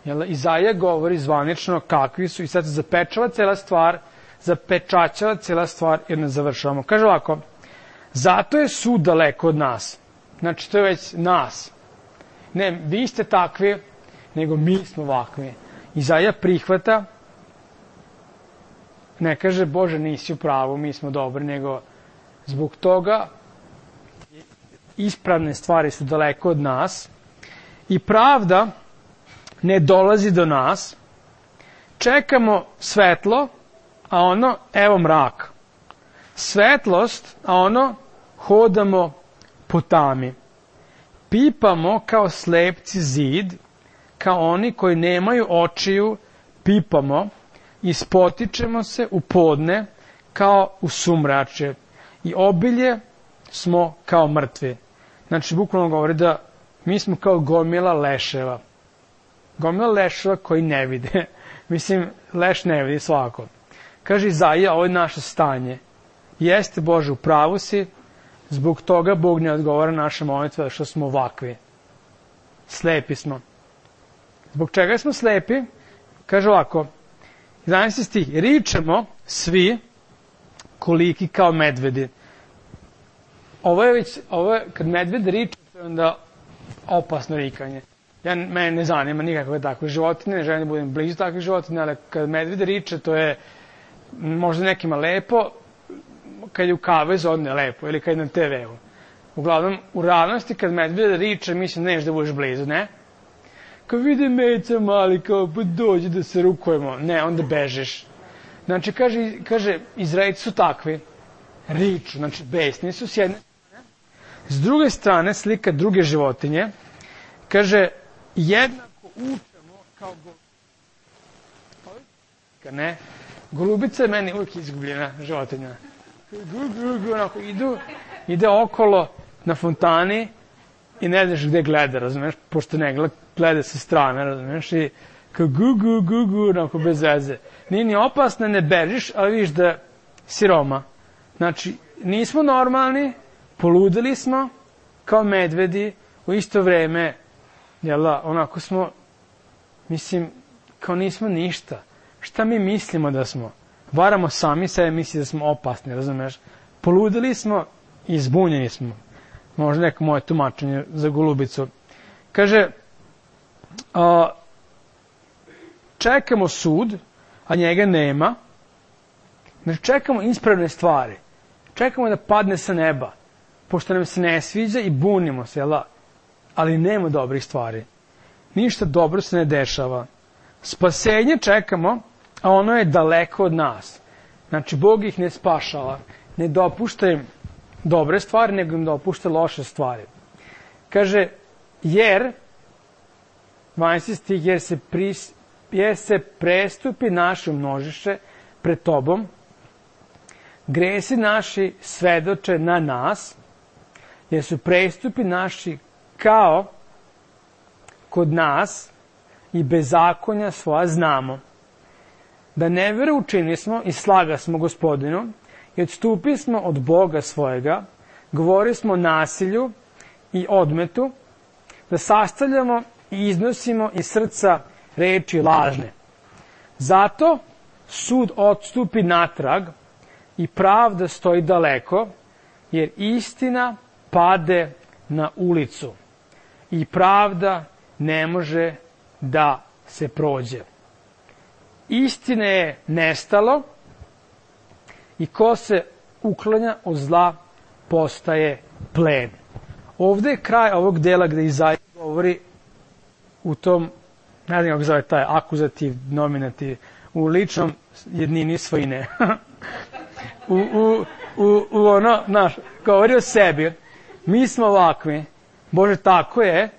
Jel, Izaija govori zvanično kakvi su i sad se zapečava cela stvar, zapečaćava cela stvar jer ne završavamo. Kaže ovako, zato je sud daleko od nas. Znači, to je već nas. Ne, vi ste takvi, nego mi smo ovakvi. Izaija prihvata, ne kaže, Bože, nisi u pravu, mi smo dobri, nego zbog toga ispravne stvari su daleko od nas i pravda ne dolazi do nas. Čekamo svetlo, a ono, evo mrak. Svetlost, a ono, hodamo po tami. Pipamo kao slepci zid, kao oni koji nemaju očiju, pipamo i spotičemo se u podne kao u sumrače i obilje smo kao mrtvi. Znači, bukvalno govori da mi smo kao gomila leševa. Gomila leševa koji ne vide. Mislim, leš ne vidi svako. Kaže Izaija, ovo je naše stanje. Jeste, Bože, u pravu si, zbog toga Bog ne odgovara naše molitve, što smo ovakvi. Slepi smo. Zbog čega smo slepi? Kaže ovako, jedanaesti stih, ričemo svi koliki kao medvedi. Ovo je već, ovo je, kad medved riče, to je onda opasno rikanje. Ja, mene ne zanima nikakve takve životine, ne želim da budem blizu takvih životinja, ali kad medved riče, to je možda nekima lepo, kad je u kavezu, odne lepo, ili kad je na te veu. Uglavnom, u realnosti, kad medved riče, mislim, neš da budeš blizu, ne? Kad vidi meca mali, kao, pa dođe da se rukujemo. Ne, onda bežiš. Znači, kaže, kaže Izraelci su takvi, riču, znači, besni su s jedne strane. S druge strane, slika druge životinje, kaže, jednako učemo kao golubica. Ne? Golubica je meni uvijek izgubljena životinja. Gu, gu, gu, onako, idu, ide okolo na fontani i ne znaš gde gleda, razumeš, pošto ne gleda, gleda sa strane, razumeš, i kao gu, gu, gu, gu, onako, bez veze. Nije ni opasno, ne bežiš, ali vidiš da si Roma. Znači, nismo normalni, poludili smo, kao medvedi, u isto vreme, jel da, onako smo, mislim, kao nismo ništa. Šta mi mislimo da smo? Varamo sami sebe, misli da smo opasni, razumeš? Poludili smo i zbunjeni smo. Možda neko moje tumačenje za golubicu. Kaže, a, čekamo sud, a njega nema. Znači, čekamo ispravne stvari. Čekamo da padne sa neba, pošto nam se ne sviđa i bunimo se, jel? Ali nema dobrih stvari. Ništa dobro se ne dešava. Spasenje čekamo, a ono je daleko od nas. Znači, Bog ih ne spašava. Ne dopušta im dobre stvari, nego im dopušta loše stvari. Kaže, jer, dvanaesti stih, jer se, pris, jer se prestupi naše množiše pred tobom, gresi naši svedoče na nas, jer su prestupi naši kao kod nas i bezakonja svoja znamo. Da nevere učini smo i slaga smo Gospodinu i odstupi smo od Boga svojega, govori smo o nasilju i odmetu, da sastavljamo i iznosimo iz srca reči lažne. Zato sud odstupi natrag i pravda stoji daleko, jer istina pade na ulicu i pravda ne može da se prođe. Istine je nestalo i ko se uklanja od zla postaje plen. Ovde je kraj ovog dela gde Izaija govori u tom, ne znam kako zove taj akuzativ, nominativ, u ličnom jednini svojine. u, u, u, u ono, znaš, govori o sebi. Mi smo ovakvi, Bože, tako je,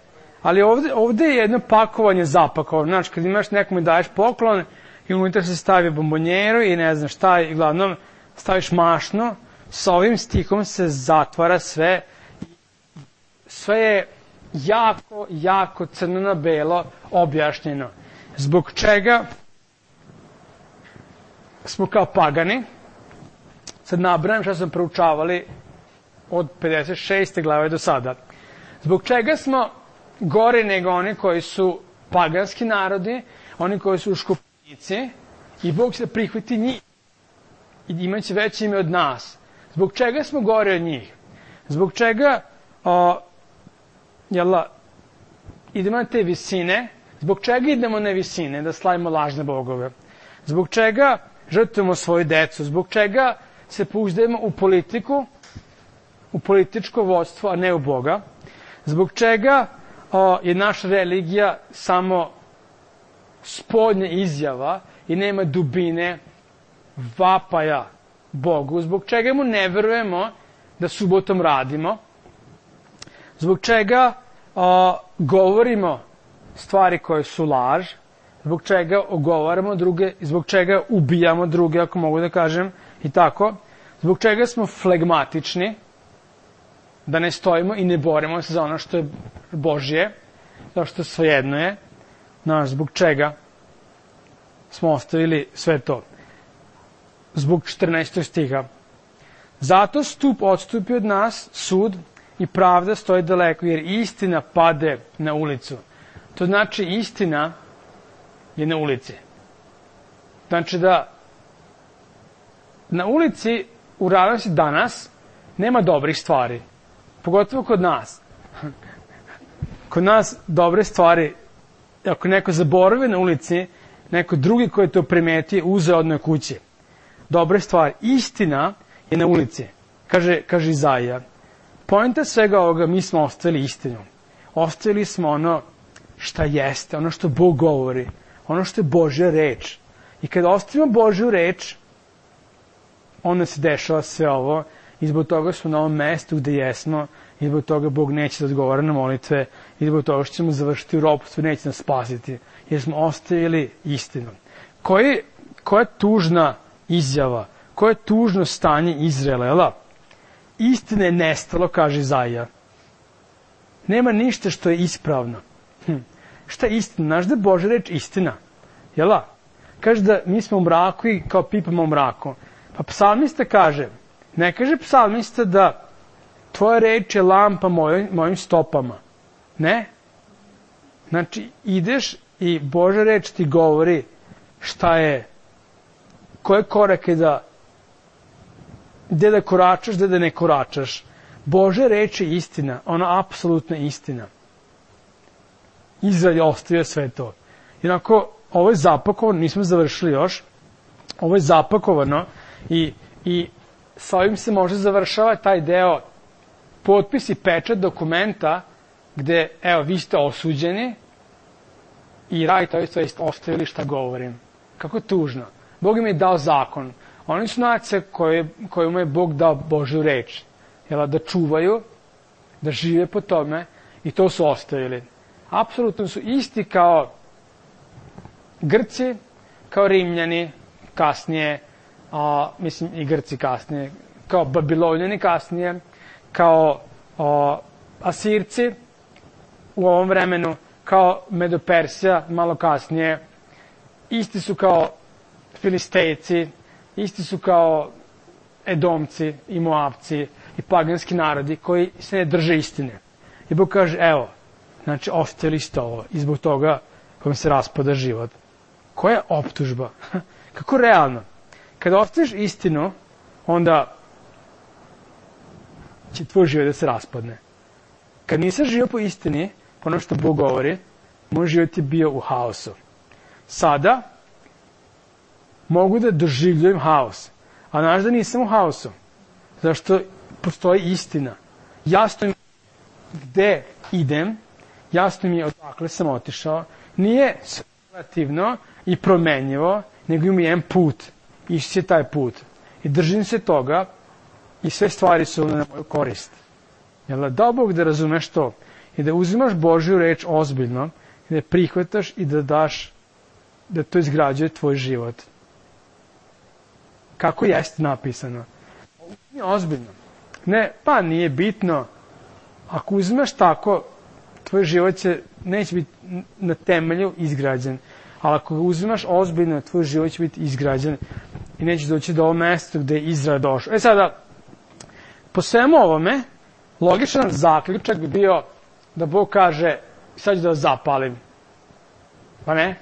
ali ovde, ovde je jedno pakovanje zapakovano. Znači, kad imaš nekome daješ poklon i unutra se stavi bombonjeru i ne znam šta, i glavnom staviš mašno, sa ovim stihom se zatvara sve. Sve je jako, jako crno na belo objašnjeno. Zbog čega smo kao pagani, sad nabrajam šta smo proučavali od pedeset šeste glave do sada. Zbog čega smo gori nego oni koji su paganski narodi, oni koji su škopnici, i Bog se prihvati njih i imaće veće ime od nas. Zbog čega smo gore od njih? Zbog čega o, jela, idemo na te visine? Zbog čega idemo na visine da slavimo lažne bogove? Zbog čega žrtvujemo svoju decu? Zbog čega se pouzdajemo u politiku, u političko vodstvo, a ne u Boga? Zbog čega o, je naša religija samo spoljna izjava i nema dubine vapaja Bogu? Zbog čega mu ne verujemo da subotom radimo? Zbog čega o, govorimo stvari koje su laž? Zbog čega ogovaramo druge? Zbog čega ubijamo druge, ako mogu da kažem, i tako? Zbog čega smo flegmatični, da ne stojimo i ne borimo se za ono što je Božje, zato što svejedno je. Znaš, zbog čega smo ostavili sve to? Zbog četrnaestog stiha. Zato stup odstupi od nas, sud i pravda stoji daleko, jer istina pade na ulicu. To znači istina je na ulici. Znači da na ulici u realnosti danas nema dobrih stvari. Pogotovo kod nas. Kod nas dobre stvari, ako neko zaboravi na ulici, neko drugi koji to primeti, uze odnoj kući. Dobre stvari. Istina je na ulici, kaže, kaže Izaija. Poenta svega ovoga, mi smo ostavili istinu. Ostavili smo ono šta jeste, ono što Bog govori, ono što je Božja reč. I kada ostavimo Božju reč, onda se dešava sve ovo i zbog toga smo na ovom mestu gde jesmo i zbog toga Bog neće da odgovara na molitve i zbog toga što ćemo završiti u ropstvu i neće nas spasiti, jer smo ostavili istinu. Koji, koja je tužna izjava, koje je tužno stanje Izraela, jel da? Istina je nestalo, kaže Izaija. Nema ništa što je ispravno. Hm. Šta je istina? Znaš da je Božja reč istina? Jel da? Kaže da mi smo u mraku i kao pipamo u mraku. Pa psalmista kaže, ne kaže psalmista da tvoja reč je lampa mojim, mojim stopama. Ne. Znači, ideš i Božja reč ti govori šta je, koje korake da, gde da koračaš, gde da ne koračaš. Božja reč je istina, ona apsolutna istina. Izrael je ostavio sve to. Jednako, ovo je zapakovano, nismo završili još, ovo je zapakovano i, i sa ovim se može završava taj deo potpis i pečat dokumenta gde, evo, vi ste osuđeni i radite to jest ostavili šta govorim. Kako tužno. Bog im je dao zakon. Oni su nacije koje, kojima je Bog dao Božju reč. Jel, da čuvaju, da žive po tome i to su ostavili. Apsolutno su isti kao Grci, kao Rimljani kasnije, a, mislim i Grci kasnije, kao Babilonjani kasnije, kao a, Asirci u ovom vremenu, kao Medopersija malo kasnije, isti su kao Filistejci, isti su kao Edomci i Moavci i paganski narodi koji se ne drže istine. I Bog kaže, evo, znači ostavili ste ovo i zbog toga vam se raspada život. Koja je optužba? Kako realno? Kada ostaviš istinu, onda će tvoj život da se raspadne. Kad nisam živio po istini, po ono što Bog govori, moj život je bio u haosu. Sada mogu da doživljujem haos, a znaš da nisam u haosu. Zašto postoji istina. Jasno mi gde idem, jasno mi je odakle sam otišao, nije relativno i promenjivo, nego ima jedan put. Išći je taj put. I držim se toga i sve stvari su na moju korist. Jel da Bog da razumeš to i da uzimaš Božju reč ozbiljno i da je prihvataš i da daš, da to izgrađuje tvoj život. Kako jeste napisano? Nije ozbiljno. Ne, pa nije bitno. Ako uzimaš tako, tvoj život će, neće biti na temelju izgrađen. Ali ako uzimaš ozbiljno, tvoj život će biti izgrađen i neće doći do ovog mesta gde je Izrael došao. E sada, po svemu ovome, logičan zaključak bi bio da Bog kaže, sad ću da vas zapalim. Pa ne?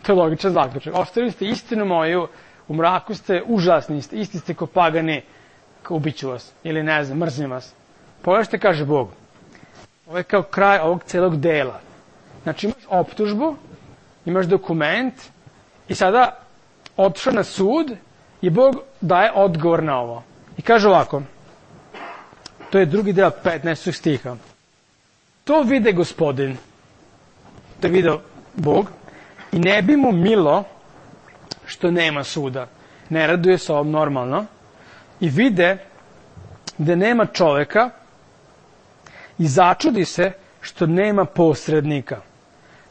To je logičan zaključak. Ostavili ste istinu moju, u mraku ste užasni, isti ste ko pagani, ubiću vas, ili ne znam, mrzim vas. Pogledaj što kaže Bog. Ovo je kao kraj ovog celog dela. Znači imaš optužbu, imaš dokument i sada otišao na sud i Bog daje odgovor na ovo. I kaže ovako, to je drugi deo petnaestog stiha. To vide Gospodin, to je video Bog, i ne bi mu milo što nema suda. Ne raduje se ovom normalno. I vide da nema čoveka i začudi se što nema posrednika.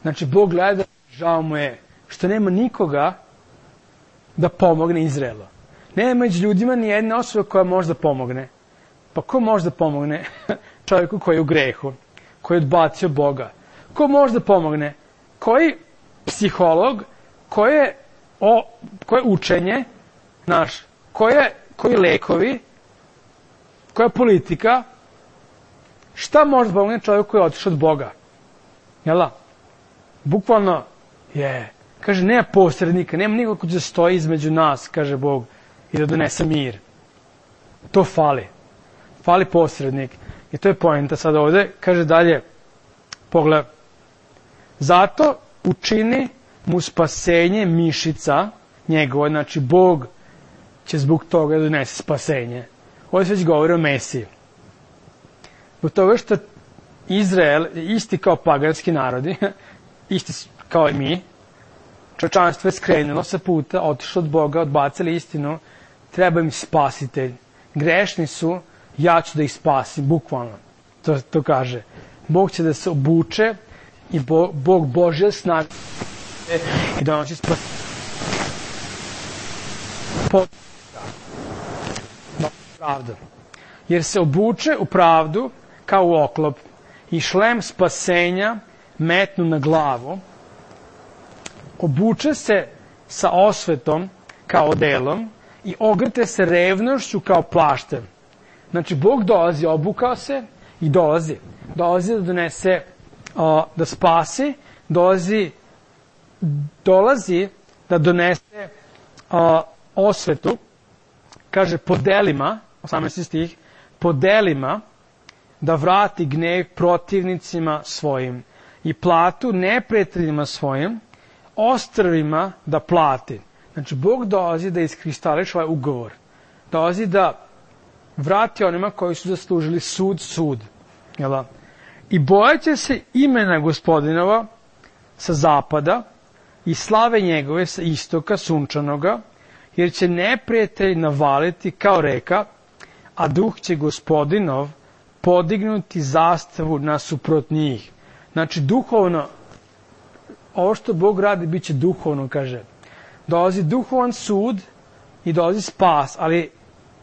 Znači, Bog gleda, žao mu je što nema nikoga da pomogne Izraelu. Nema među ljudima ni jedna osoba koja može da pomogne. Pa ko može da pomogne čovjeku koji je u grehu, koji je odbacio Boga? Ko može da pomogne? Koji psiholog, koje, o, koje učenje, naš, koje, koji lekovi, koja politika, šta može da pomogne čovjeku koji je otišao od Boga? Jel' bukvalno je, kaže, nema posrednika, nema nikoga ko će stoji između nas, kaže Bog, i da donese mir. To fali. Fali posrednik. I to je poenta sad ovde. Kaže dalje, pogled, zato učini mu spasenje mišica njegove, znači Bog će zbog toga da donese spasenje. Ovdje se već govori o Mesiji. Zbog toga što Izrael je isti kao paganski narodi, isti kao i mi, čovječanstvo je skrenulo sa puta, otišlo od Boga, odbacili istinu, treba im spasitelj. Grešni su, ja ću da ih spasim, bukvalno. To, to kaže. Bog će da se obuče i Bog, Bog Božja snaga i donosi spasenje. Pravda. Jer se obuče u pravdu kao u oklop i šlem spasenja metnu na glavu, obuče se sa osvetom kao odelom i ogrte se revnošću kao plaštem. Znači, Bog dolazi, obukao se i dolazi. Dolazi da donese, o, da spasi, dolazi, dolazi da donese o, osvetu, kaže, po delima, osamnaesti stih, po delima da vrati gnev protivnicima svojim i platu neprijateljima svojim, ostrvima da plati. Znači, Bog dolazi da iskristališ ovaj ugovor. Dolazi da vrati onima koji su zaslužili sud, sud. Jel? I bojaće se imena Gospodinova sa zapada i slave njegove sa istoka sunčanoga, jer će neprijatelj navaliti kao reka, a duh će Gospodinov podignuti zastavu nasuprot njih. Znači, duhovno, ovo što Bog radi, bit će duhovno, kaže. Dolazi duhovan sud i dolazi spas, ali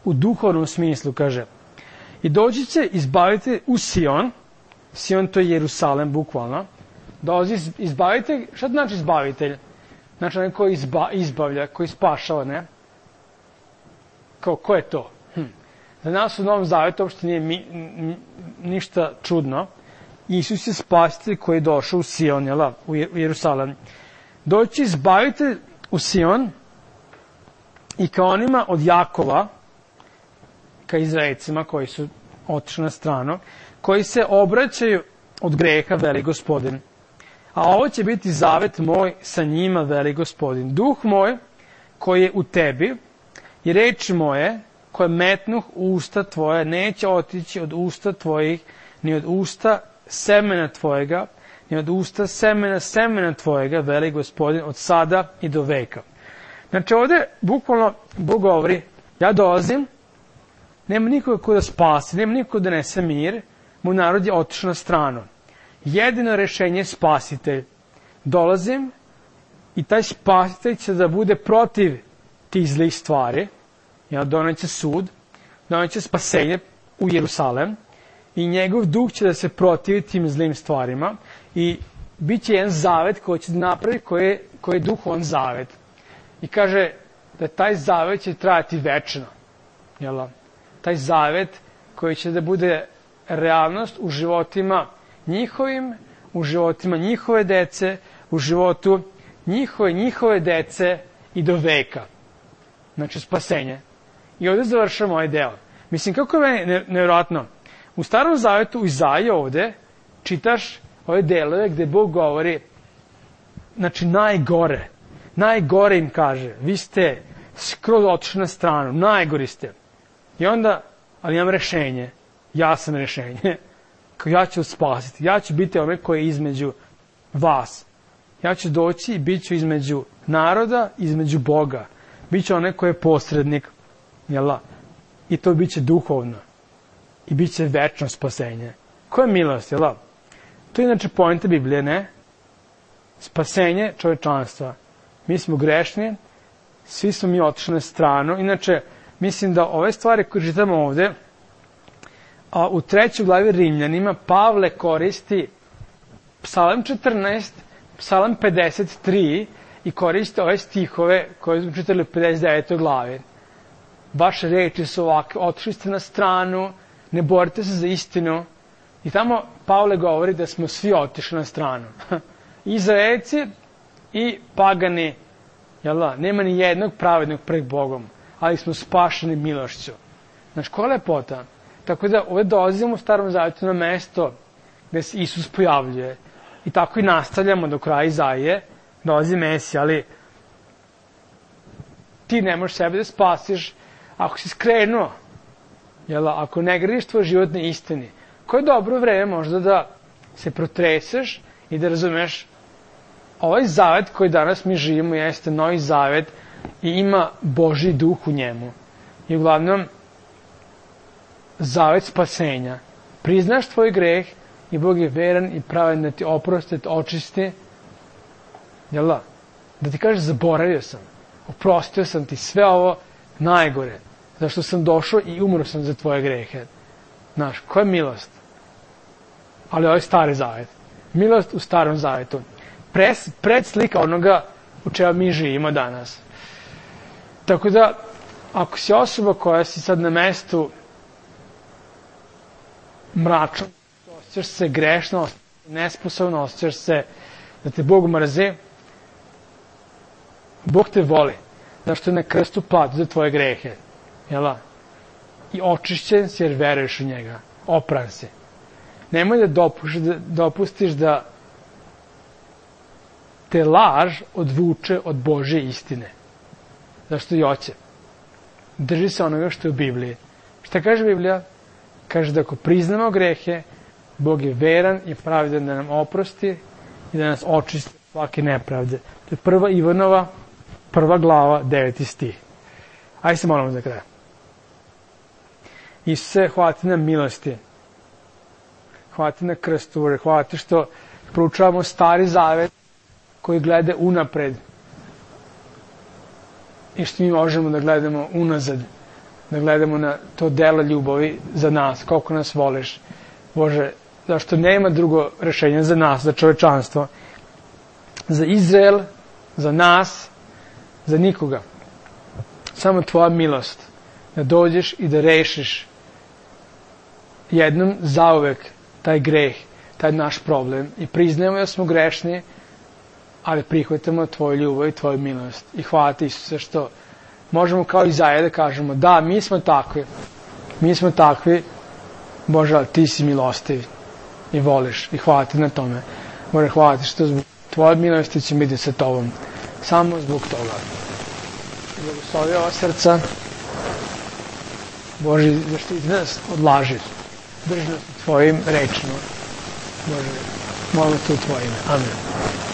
u duhovnom smislu, kaže. I doći će izbaviti u Sion, Sion to je Jerusalem, bukvalno. Dolazi izbavitelj, šta znači izbavitelj? Znači, onaj koji izba, izbavlja, koji spašava, ne? Kao, ko je to? Hm. Za nas u Novom Zavetu uopšte nije mi, n, ništa čudno. Isus je spasitelj koji je došao u Sion, jel, u Jerusalem. Doći izbavitelj u Sion i kao onima od Jakova, ka Izraelcima koji su otišli na stranu, koji se obraćaju od greha, veli Gospodin. A ovo će biti zavet moj sa njima, veli Gospodin. Duh moj koji je u tebi i reči moje koje metnuh u usta tvoje neće otići od usta tvojih, ni od usta semena tvojega, ni od usta semena semena tvojega, veli Gospodin, od sada i do veka. Znači ovdje bukvalno Bog govori, ja dolazim, nema nikoga ko da spasi, nema nikoga da nese mir, moj narod je otišao na stranu. Jedino rešenje je spasitelj. Dolazim i taj spasitelj će da bude protiv tih zlih stvari, ja, doneće sud, doneće spasenje u Jerusalem i njegov duh će da se protivi tim zlim stvarima i bit će jedan zavet koji će napraviti, koji je, koji je duhovan zavet. I kaže da taj zavet će trajati večno. Jel? Taj zavet koji će da bude realnost u životima njihovim, u životima njihove dece, u životu njihove, njihove dece i do veka. Znači, spasenje. I ovde završamo ovaj deo. Mislim, kako je meni nevjerojatno. U Starom Zavetu, u Izaiji ovde, čitaš ove delove gde Bog govori, znači, najgore. Najgore im kaže. Vi ste skroz otišli na stranu. Najgori ste. I onda, ali imam rešenje. Ja sam rešenje. Kao ja ću spasiti. Ja ću biti onaj koji je između vas. Ja ću doći i bit ću između naroda, između Boga. Biće onaj koji je posrednik. Jela? I to biće duhovno. I bit će večno spasenje. Koja je milost, jel? To je inače poenta Biblije, ne? Spasenje čovečanstva. Mi smo grešni, svi smo mi otišli na stranu. Inače, mislim da ove stvari koje čitamo ovde, a u trećoj glavi Rimljanima, Pavle koristi Psalam četrnaest, Psalam pedeset tri i koristi ove stihove koje smo čitali u pedeset devetoj glavi. Vaše reči su ovakve, otišli ste na stranu, ne borite se za istinu. I tamo Pavle govori da smo svi otišli na stranu. Izraelci i pagani, jel da, nema ni jednog pravednog pred Bogom, ali smo spašeni milošću. Znaš, koja lepota? Tako da ovdje dolazimo u Starom Zavetu na mesto gde se Isus pojavljuje. I tako i nastavljamo do kraja Izaije, dolazi Mesija, ali ti ne možeš sebe da spasiš ako si skrenuo, jel, ako ne gradiš tvoj život na istini. Koje je dobro vreme možda da se protreseš i da razumeš ovaj zavet koji danas mi živimo jeste novi zavet i ima Božji duh u njemu. I uglavnom zavet spasenja. Priznaš tvoj greh i Bog je veran i pravedan da ti oprosti, da ti očisti. Jel da? Da ti kaže zaboravio sam, oprostio sam ti sve ovo najgore, zašto sam došao i umro sam za tvoje grehe. Znaš, koja je milost? Ali ovo je stari zavet. Milost u Starom Zavetu. Pres, predslika onoga u čemu mi živimo danas. Tako da, ako si osoba koja si sad na mestu mračno, osjećaš se grešno, nesposobno, osjećaš se da te Bog mrzi, Bog te voli. Zašto je na krstu platio za tvoje grehe. Jela? I očišćen si jer veruješ u njega. Opran si. Nemoj da dopustiš da, dopustiš da te laž odvuče od Božje istine. Zašto i hoće. Drži se onoga što je u Bibliji. Šta kaže Biblija? Kaže da ako priznamo grehe, Bog je veran i pravedan da nam oprosti i da nas očisti svake nepravde. To je prva Ivanova, prva glava, deveti stih. Ajde se molimo za kraj. Isuse, hvala ti na milosti. Hvala ti na krstu, hvala ti što proučavamo Stari Zavet koji gleda unapred i što mi možemo da gledamo unazad, da gledamo na to delo ljubavi za nas, koliko nas voliš. Bože, zašto nema drugo rešenja za nas, za čovečanstvo, za Izrael, za nas, za nikoga. Samo tvoja milost da dođeš i da rešiš jednom zauvek taj greh, taj naš problem i priznajemo da smo grešni, ali prihvatamo tvoju ljubav i tvoju milost. I hvala ti, Isuse, što možemo kao Izaija da kažemo da, mi smo takvi, mi smo takvi, Bože, ali ti si milostiv i voliš i hvala ti na tome. Bože, hvala ti što zbog tvoje milosti ćemo biti sa tobom. Samo zbog toga. Blagoslovi ova srca. Bože, zaštiti nas od laži. Drži nas u tvojim rečima. Bože, molim te u tvoje ime. Amen.